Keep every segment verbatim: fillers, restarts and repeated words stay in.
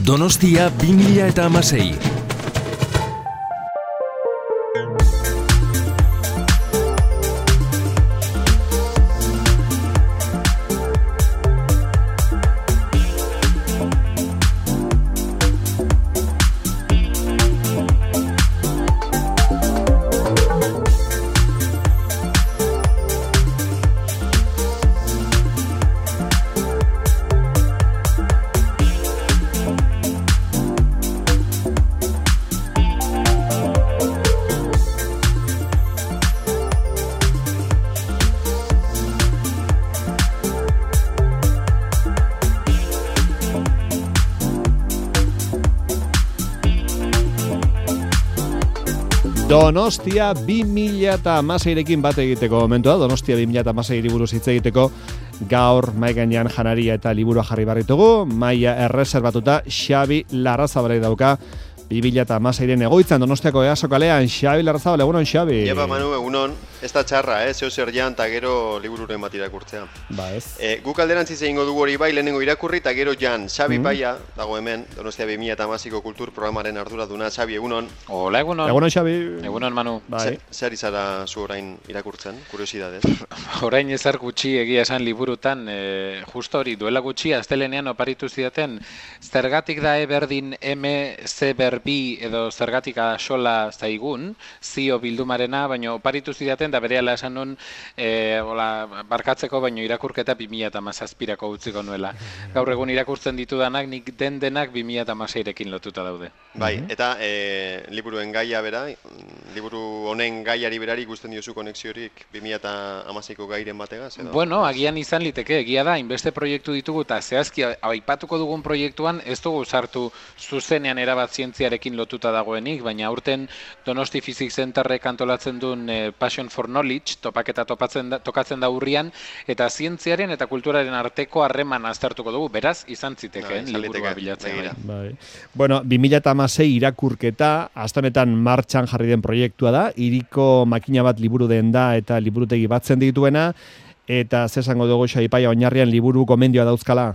Donostia bi mila hamasei. Donostia bi mila hamaseirekin bat egiteko momentua, Donostia bi mila hamaseiri buruz hitz egiteko gaur mahai gainean janaria eta liburua jarri barritugu, maila erreserbatuta Xabi Larrazabalek dauka bi mila hamaseiren egoitzan Donostiako Easo kalean. Xabi Larrazabal, egunon Xabi. Iepa Manu, egunon, ez da txarra, eh? zeo zer jan eta gero libururen bat irakurtzea. Ba ez. E, guk alderantziz egingo dugu hori bai, lehenengo irakurri eta gero jan. Xabi mm. Paia, dago hemen, Donostia bi mila hamaseiko kultur programaren arduraduna. Xabi, egunon. Hola, egunon. Egunon Xabi. Egunon Manu. Bai. Zer izara zu orain irakurtzen, kuriosidadez? Orain ezar gutxi egia esan liburutan, e, justo hori duela gutxi astelenean oparitu zidaten, zergatik da E berdin M, C berbi edo zergatik asola zaigun, zio bildumarena, baina oparitu zidaten, da berehala esan nun, e, ola, barkatzeko, baino irakurketa bi mila hamazazpirako utziko nuela. Gaur egun irakurtzen ditudanak, nik den denak bi mila hamaseirekin lotuta daude. Bai, eta e, liburuen gaia bera, liburu honen gaiari berari ikusten diozu konexiorik bi mila hamaseiko gairen bategaz? Edo? Bueno, agian izan liteke, egia da, inbeste proiektu ditugu, eta zehazki aipatuko dugun proiektuan, ez dugu sartu zuzenean erabat zientziarekin lotuta dagoenik, baina aurten Donosti Physics Centerrek antolatzen duen eh, Passion for Knowledge, topaketa topatzen da, tokatzen da urrian, eta zientziaren eta kulturaren arteko harreman aztertuko dugu, beraz, izan zitekeen no, liburua bilatzen. Bai. Bueno, bi mila hamasei irakurketa, aste honetan martxan jarri den proiektua da, hiriko makina bat liburu den da eta liburutegi batzen dituena, eta zesango dugu Xabi Paia oinarrian liburu gomendioa dauzkala?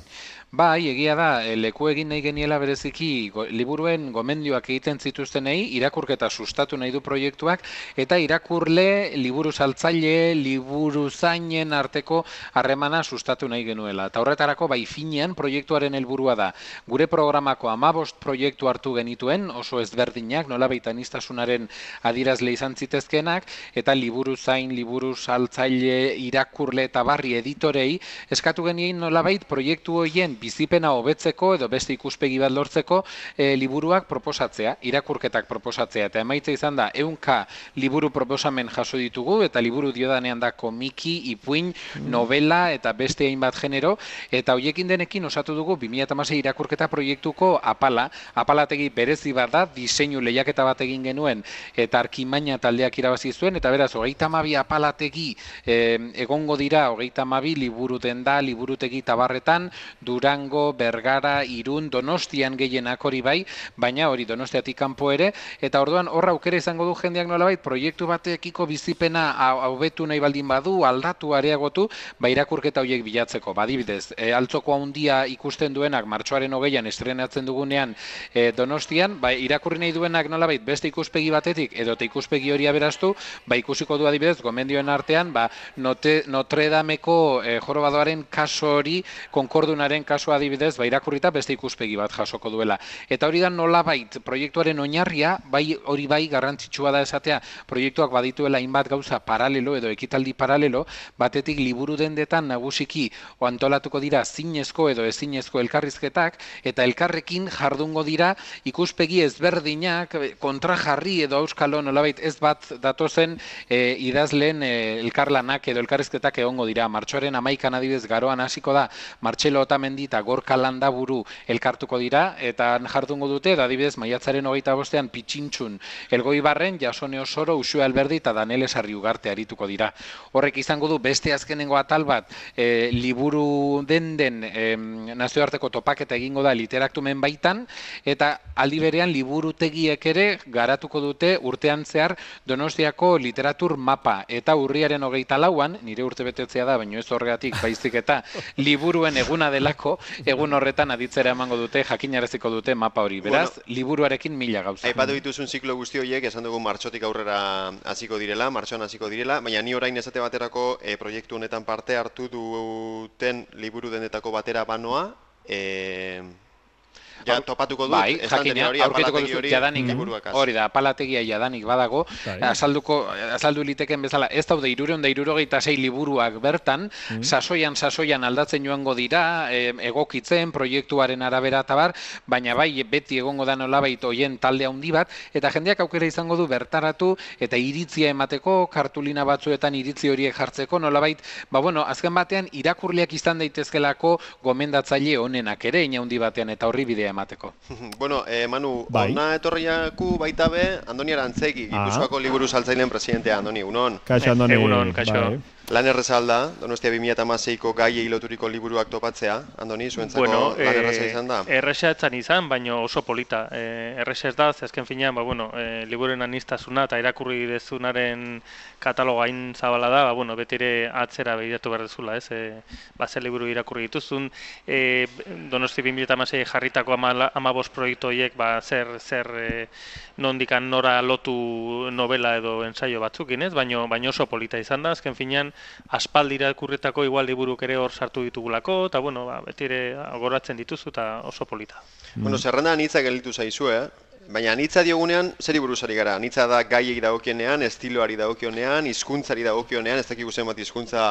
Bai, egia da, leku egin nahi geniela bereziki go, liburuen gomendioak egiten zituztenei, irakurketa sustatu nahi du proiektuak, eta irakurle, liburu saltzaile, liburu zainen arteko harremana sustatu nahi genuela. Eta horretarako, bai finean proiektuaren helburua da. Gure programako hamabost proiektu hartu genituen, oso ezberdinak, nolabait aniztasunaren adirazle izan zitezkenak, eta liburu zain, liburu saltzaile, irakurle eta barri editorei, eskatu genien nolabait proiektu horien bizipena hobetzeko edo beste ikuspegi bat lortzeko e, liburuak proposatzea, irakurketak proposatzea. Eta emaitza izan da, ehunka liburu proposamen jaso ditugu, eta liburu diodanean da komiki, ipuin, novela eta beste hainbat genero, eta hoiekin denekin osatu dugu bi mila hamasei irakurketa proiektuko apala. Apalategi berezi bat da, diseinu lehiaketa bat egin genuen, eta Arkimaina taldeak irabazi zuen, eta beraz, hogeita hamabi apalategi e, egongo dira, hogeita hamabi liburu denda, liburutegi tabarretan, dura Durango, Bergara, Irun, Donostian gehienak hori bai, baina hori Donostiatik kanpo ere, eta orduan horra aukera izango du jendeak nolabait proiektu batekiko bizipena hobetu nahi baldin badu, aldatu, areagotu, ba irakurketa horiek bilatzeko. Badibidez, e, altzoko handia ikusten duenak martxoaren hogeian estrenatzen dugunean e, Donostian, ba irakurri nahi duenak nolabait beste ikuspegi batetik edo te ikuspegi hori aberaztu, ba ikusiko du adibidez gomendioen artean, ba note, Notre Dameko e, jorobadoaren kaso hori, konkordunaren kaso adibidez, ba, irakurrita beste ikuspegi bat jasoko duela. Eta hori da nolabait proiektuaren oinarria, bai hori bai garrantzitsua da esatea, proiektuak badituela hainbat gauza paralelo edo ekitaldi paralelo, batetik liburu dendetan nagusiki o antolatuko dira zinezko edo ezinezko elkarrizketak, eta elkarrekin jardungo dira ikuspegi ezberdinak, kontrajarri edo auskalo nolabait ez bat datozen e, idazleen e, elkarlanak edo elkarrizketak egongo dira. Martxoaren hamaikan adibidez garoan hasiko da, Martxelo Otamendi eta Gorka Landaburu elkartuko dira, eta jardungo dute, da adibidez, maiatzaren hogeita bostean Pitxintxun, Elgoibarren, Jasone Osoro, Uxue Alberdi eta Danele Sarri Ugarte arituko dira. Horrek izango du beste azkenengo atal bat, e, liburu den den e, nazioarteko topaketa egingo da literaktumen baitan, eta aldi berean liburutegiek ere garatuko dute urtean zehar Donostiako literatur mapa, eta urriaren hogeita lauan, nire urte betetzea da, baina ez horregatik baizik eta liburuen eguna delako, egun horretan aditzera emango dute, jakinaraziko dute mapa hori. Beraz, bueno, liburuarekin mila gauza. Aipatu dituzun ziklo guzti horiek, esan dugu martxotik aurrera hasiko direla, martxoan hasiko direla, baina ni orain esate baterako e, proiektu honetan parte hartu duten liburu denetako batera banoa, e, ja, topatuko dut, bai, jakina, hori, aurkituko dut jadanik, hori da, apalategia jadanik badago, azalduko, azaldu liteken bezala, ez daude hirurehun eta hirurogeita sei liburuak bertan, mm. sasoian, sasoian aldatzen joango dira, e, egokitzen, proiektuaren arabera tabar, baina bai, beti egongo da nolabait hoien talde handi bat, eta jendeak aukera izango du bertaratu, eta iritzia emateko, kartulina batzuetan iritzi horiek jartzeko, nolabait, ba bueno, azken batean, irakurleak izan daitezkelako gomendatzaile honenak ere, inaundi batean, eta horri bidea emateko. Bueno, eh, Manu, bai. Ona etorriaku baita be, Andoni Arantzegi, Gipuzkoako ah. liburu saltzaileen presidentea, Andoni, egunon. Kaixo, Andoni. Egunon, kaixo. Bai. Lan erreza alda, Donostia bi mila hamaseiko gaiei loturiko liburuak topatzea, Andoni, zuentzako bueno, lan erreza izan da? Erreza etzan izan, baina oso polita. E, erreza ez da, azken finean, ba, bueno, e, libururen aniztasuna eta irakurri dezunaren kataloga hain zabala da, ba, bueno, beti ere atzera behiratu behar dezula, ez? E, ba, zer liburu irakurri dituzun, e, Donostia bi mila hamasei jarritako hamabost proiektu horiek, ba, zer, zer e, nondikan nora lotu novela edo ensaio batzukin, ez? Baina baino oso polita izan da, azken finean, aspaldi irakurritako igual liburuk ere hor sartu ditugulako, eta bueno, ba, beti ere goratzen dituzu eta oso polita. Bueno, zerrenda anitza gelditu zaizu, eh? Baina anitza diogunean, zeri buruzari gara? Anitza da gaiei dagokionean, estiloari dagokionean, hizkuntzari dagokionean, ez dakigu zenbat hizkuntza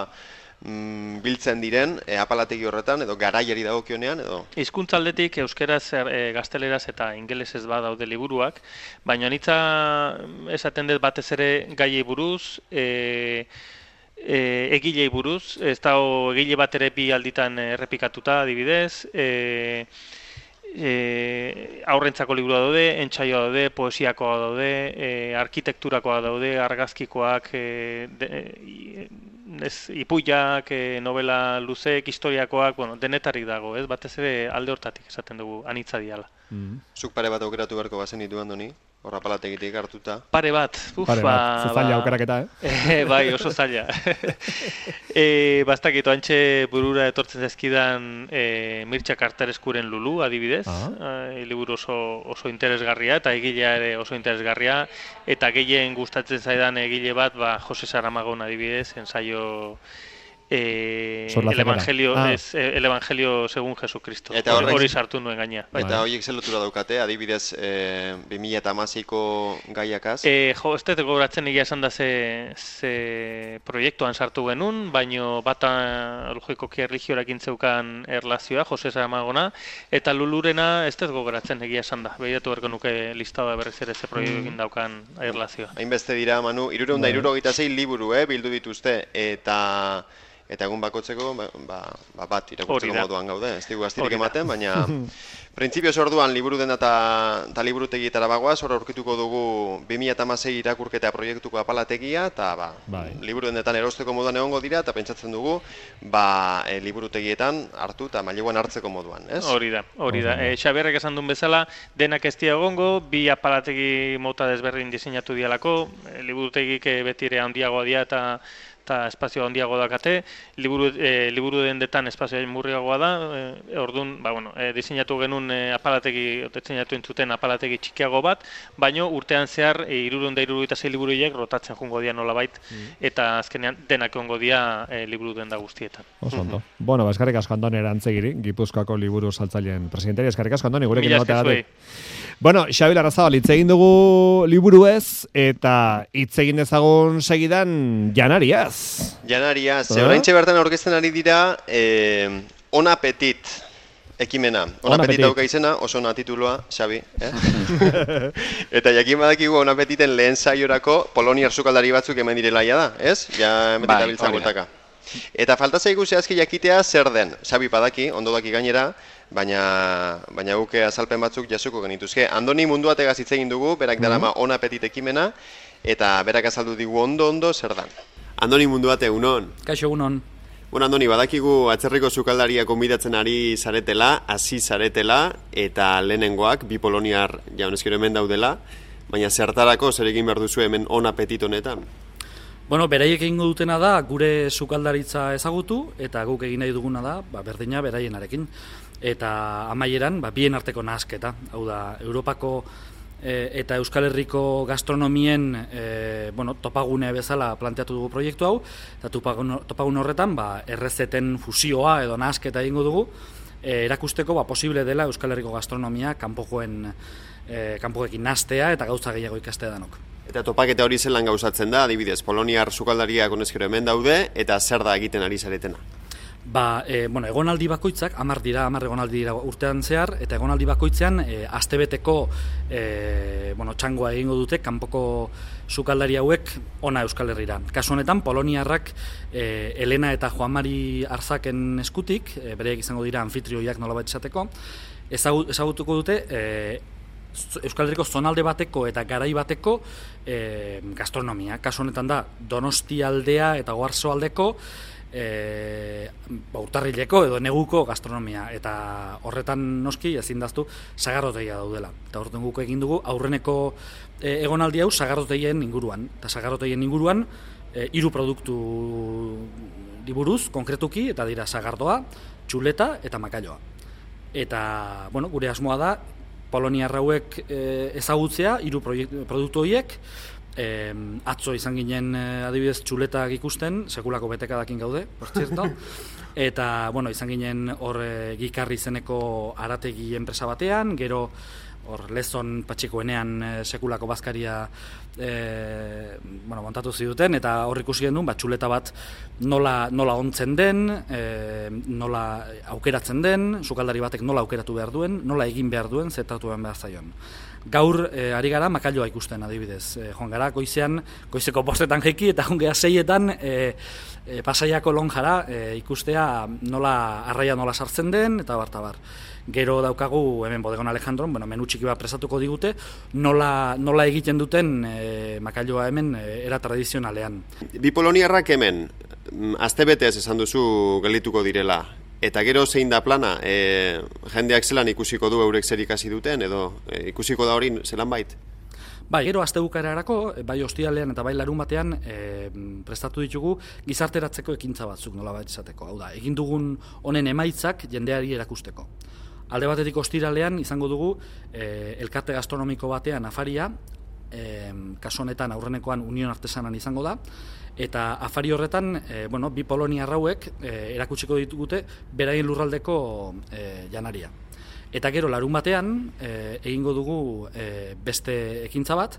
mm, biltzen diren, e, apalategi horretan, edo garaiari dagokionean, edo? Hizkuntza aldetik euskeraz, e, gazteleraz eta ingelesez badaude liburuak, baina anitza esaten dut batez ere gaiei buruz, e, E, egilei buruz, ez da egile bat ere bi alditan errepikatuta adibidez, e, e, aurrentzako liburua daude, entsaioa daude, poesiakoa daude, e, arkitekturakoa daude, argazkikoak, e, de, e, ez, ipuiak, e, novela luzeek, historiakoak, bueno, denetarik dago, ez batez ere alde hortatik esaten dugu anitza diala. Mm. Zuk pare bat aukeratu beharko bazen ditu, Andoni? Horra palategitik hartuta. Pare bat. Uf, Pare bat. Ba, zaila aukeraketa, eh? E, bai, oso zaila. e, Bastakit, oantxe burura etortzen zezkidan e, Mirtxa Kartareskuren Lulu, adibidez. Ah. E, liburu oso, oso interesgarria, eta egilea ere oso interesgarria. Eta gehien gustatzen zaidan egile bat, ba, Jose Saramagon adibidez, ensaio... Eh, el evangelio ah. es el evangelio según Jesucristo. Hori sartu nuen gaina. Eta horiek zer lotura daukate, adibidez, eh, bi mila hamaseiko gaiakaz? Eh, jo, ez dut gogoratzen egia esan da ze, ze proiektuan sartu genuen, baino bata logikoki erlijioarekin zeukan erlazioa, Jose Saramagona, eta Lulurena ez dut gogoratzen egia esan da. Begiratu berko nuke listada berriz ere ze proiektuekin daukan erlazioa. Hainbeste dira, Manu, hirurehun eta hirurogeita sei liburu, eh, bildu dituzte, eta... Eta egun bakotzeko, ba, ba, bat irakurtzeko moduan gaude, ez digu astirik ematen, baina printzipioz orduan liburu dena eta liburutegietara bagoaz, hor aurkituko dugu bi mila hamasei irakurketa proiektuko apalategia, eta ba, bai. liburu denetan erosteko moduan egongo dira, eta pentsatzen dugu ba, e, liburutegietan hartu eta maileguan hartzeko moduan, ez? Hori da, hori da. E, Xaberrek esan duen bezala, denak ez dira egongo, bi apalategi mota desberdin diseinatu dialako, e, liburutegik beti ere handiagoa dira eta eta espazio handiago dakate, liburu, e, liburu dendetan espazio murriagoa da, e, orduan, ba, bueno, e, diseinatu genuen e, apalategi, diseinatu entzuten apalategi txikiago bat, baino urtean zehar e, hirurehun eta hirurogeita sei liburuiek rotatzen jungo dira nolabait, mm. eta azkenean denak egongo dira e, liburu denda guztietan. Oso ondo. Mm-hmm. Bueno, ba, eskarrik asko Andoni Arantzegiri, Gipuzkoako liburu saltzaileen presidentari, eskarrik asko Andoni, gurekin egoteagatik. Bueno, Xabi Larrazabal, hitz egin dugu liburuez, eta hitz egin dezagun segidan janariaz. Janariaz, ze oraintxe bertan aurkezten ari dira eh, On Appetit ekimena. On Appetit dauka izena, oso ona tituloa, Xabi. Eh? Eta jakin badakigu On Appetiten lehen saiorako poloniar sukaldari batzuk hemen direlaia da, ez? Ja hemen bai, biltza bueltaka. Eta falta zaigu zehazki jakitea zer den. Xabi badaki, ondo daki gainera, baina baina guke azalpen batzuk jasuko genituzke. Andoni Munduategaz hitz egin dugu, berak darama On Appetit ekimena, eta berak azaldu digu ondo-ondo zer dan. Andoni Munduate, egunon. Kaixo, egunon. Bueno, Andoni, badakigu atzerriko sukaldaria konbidatzen ari zaretela, hasi zaretela, eta lehenengoak, bi poloniar jaunezkero hemen daudela, baina zertarako zer egin behar duzu hemen On Appetit honetan? Bueno, beraiek egingo dutena da, gure sukaldaritza ezagutu, eta guk egin nahi duguna da, ba, berdina beraienarekin. eta amaieran, ba, bien arteko nahasketa. Hau da, Europako e, eta Euskal Herriko gastronomien e, bueno, topagune bezala planteatu dugu proiektu hau, eta topagun, topagun horretan ba, errezeten fusioa edo nahasketa egingo dugu, e, erakusteko ba, posible dela Euskal Herriko gastronomia kanpokoen e, kanpoekin nahastea eta gauza gehiago ikastea danok. Eta topaketa hori zelan gauzatzen da, adibidez, poloniar sukaldariak honezkero hemen daude, eta zer da egiten ari zaretena? Ba, e, bueno, egonaldi bakoitzak, hamar dira, hamar egonaldi dira urtean zehar, eta egonaldi bakoitzean e, astebeteko e, bueno, txangoa egingo dute kanpoko sukaldari hauek ona Euskal Herrira. Kasu honetan, poloniarrak e, Elena eta Juan Mari Arzaken eskutik, e, bereak izango dira anfitrioiak nolabait esateko, ezagut, ezagutuko dute e, Euskal Herriko zonalde bateko eta garai bateko e, gastronomia. Kasu honetan da, Donostialdea eta Oarsoaldeko E, ba, urtarrileko edo neguko gastronomia, eta horretan noski ezin daztu sagardotegia daudela. Eta horretan guk egin dugu aurreneko e, egonaldi hau sagardotegien inguruan. Eta sagardotegien inguruan e, hiru produktu diburuz konkretuki, eta dira sagardoa, txuleta eta makailoa. Eta bueno, gure asmoa da poloniar hauek e, ezagutzea hiru produktu horiek. E, atzo izan ginen adibidez txuletak ikusten, sekulako betekadakin gaude, por cierto, eta bueno, izan ginen hor e, Gikarri izeneko arategi enpresa batean, gero hor Lezon Patxikoenean e, sekulako bazkaria e, bueno, montatu ziduten, eta hor ikusi genuen ba, txuleta bat nola, nola ontzen den, e, nola aukeratzen den, sukaldari batek nola aukeratu behar duen, nola egin behar duen, zetatu behar zaion. Gaur e, ari gara makailoa ikusten adibidez. E, joan gara goizean, goizeko bostetan jeki eta joan gara seietan e, e, Pasaiako lonjara e, ikustea nola arraia nola sartzen den eta bartabar. Gero daukagu hemen Bodegon Alejandron, bueno, menu txiki bat presatuko digute, nola, nola egiten duten e, makailoa hemen e, era tradizionalean. Bi poloniarrak hemen, astebetez esan duzu gelituko direla. Eta gero zein da plana, e, jendeak zelan ikusiko du eurek zer ikasi duten, edo e, ikusiko da hori zelan bait? Bai, gero aste bukaerarako, bai ostialean eta bai larun batean e, prestatu ditugu gizarteratzeko ekintza batzuk nolabait esateko. Hau da, egin dugun honen emaitzak jendeari erakusteko. Alde batetik ostiralean izango dugu e, elkarte gastronomiko batean afaria, e, kasu honetan aurrenekoan Union Artesanan izango da, eta afari horretan, e, bueno, bi poloniar hauek e, erakutsiko ditugute beraien lurraldeko e, janaria. Eta gero larun batean e, egingo dugu e, beste ekintza bat,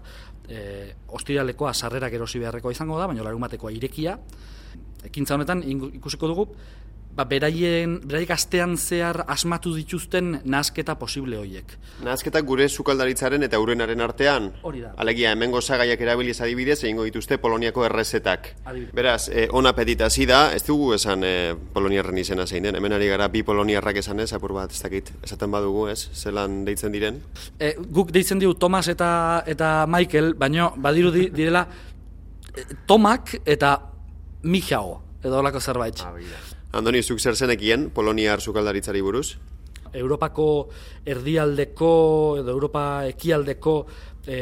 e, ostiralekoa sarrerak erosi beharrekoa izango da, baina larun batekoa irekia. Ekintza honetan ikusiko dugu ba, beraien, beraik astean zehar asmatu dituzten nahasketa posible horiek. Nahasketak gure sukaldaritzaren eta urenaren artean? Hori da. Alegia, hemengo osagaiak erabiliz adibidez, egingo dituzte Poloniako errezetak. Adibidez. Beraz, eh, on apetit hasi da, ez dugu esan eh, poloniarren izena zein den, hemen ari gara bi poloniarrak esan ez, apur bat, ez dakit, esaten badugu ez, zelan deitzen diren? E, guk deitzen digu Tomas eta, eta Michael, baina badiru di, direla e, Tomak eta Mijao, edo holako zerbait. Ah, Andoni, zuk zer zenekien poloniar sukaldaritzari buruz? Europako erdialdeko edo Europa ekialdeko e,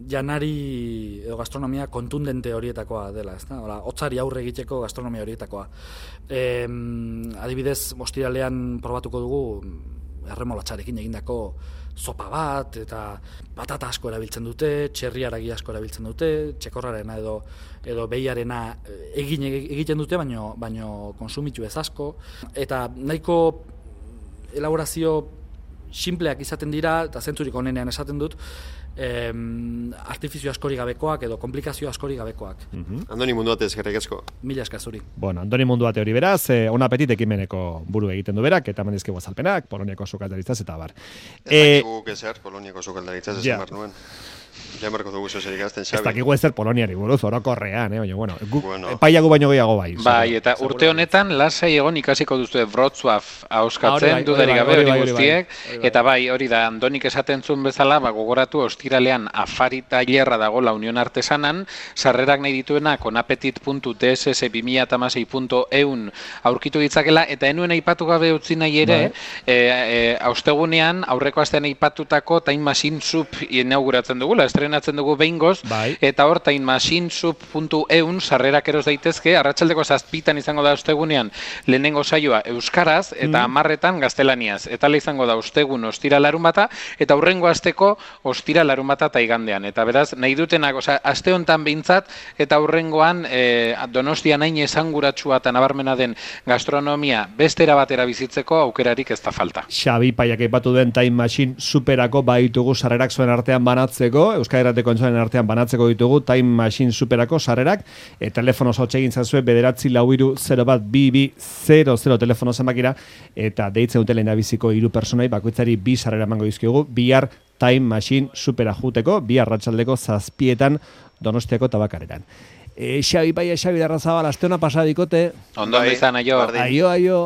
janari edo gastronomia kontundente horietakoa dela, ezta? Hola, hotzari aurre egiteko gastronomia horietakoa. E, adibidez, ostiralean probatuko dugu erremolatxarekin egindako zopa bat, eta patata asko erabiltzen dute, txerri haragi asko erabiltzen dute, txekorrarena edo edo behiarena egin egiten dute, baino baino konsumitu ez asko, eta nahiko elaborazio simpleak izaten dira, eta zentzurik onenean esaten dut, em, artifizio askori gabekoak edo komplikazio askori gabekoak. Mhm. Andoni, mundu batez, eskerrik asko. Mila esker zuri. Bueno, Andoni mundu bate hori beraz, eh, on apetit ekimeneko buru egiten du berak, eta mandizkegu azalpenak, Poloniako sukaldaritzaz eta bar. Ez dakigu ezer, Poloniako sukaldaritzaz esan behar nuen. Ja marko dugu zozerik azten, Xabi. Ez dakigu ezer Poloniari buruz, orokorrean, eh? Baina, bueno, guk Bueno. epaiago baino gehiago bai. Bai, eta urte honetan lasai egon ikasiko duzu Wrocław ahoskatzen, Ah, hori bai, dudarik hori gabe bai, hori hori bai, guztiek, hori bai. eta bai, hori da, Andonik esaten zuen bezala, ba, gogoratu ostiralean afari tailerra dago la Unión Artesanan, sarrerak nahi dituenak onapetit puntu d s s bi mila hamasei puntu e u n aurkitu ditzakela, eta enuen aipatu gabe utzi nahi ere, e, e, austegunean, aurreko astean aipatutako Time Machine Soup inauguratzen dugu, la estrenatzen dugu behingoz, bai. eta hor time machine sub puntu e u sarrerak eros daitezke, arratsaldeko zazpitan izango da ostegunean lehenengo saioa euskaraz, eta hamarretan mm. gaztelaniaz. Eta izango da ostegun ostira larun bata, eta hurrengo asteko ostira larun bata eta igandean. Eta beraz, nahi dutenak, oza, aste honetan behintzat, eta hurrengoan e, Donostian hain esanguratsua eta nabarmena den gastronomia bestera batera bizitzeko aukerarik ez da falta. Xabi Paiak aipatu den Time Machine Superako baditugu sarrerak zuen artean banatzeko, Euskal Irrateko entzuen artean banatzeko ditugu Time Machine Superako sarrerak, e, telefono zotxegin zazue bederatzi lau iru zero bat bi bi zero zero telefono zenbakira, eta deitzen dute lehendabiziko hiru personai bakoitzari bi sarrera emango dizkiogu, bihar Time Machine Supera juteko, bihar arratsaldeko zazpietan Donostiako tabakaretan. E, Xabi Paia, Xabi Larrazabal, aste hona pasadikote. Ondo izan, aio. Aio, aio.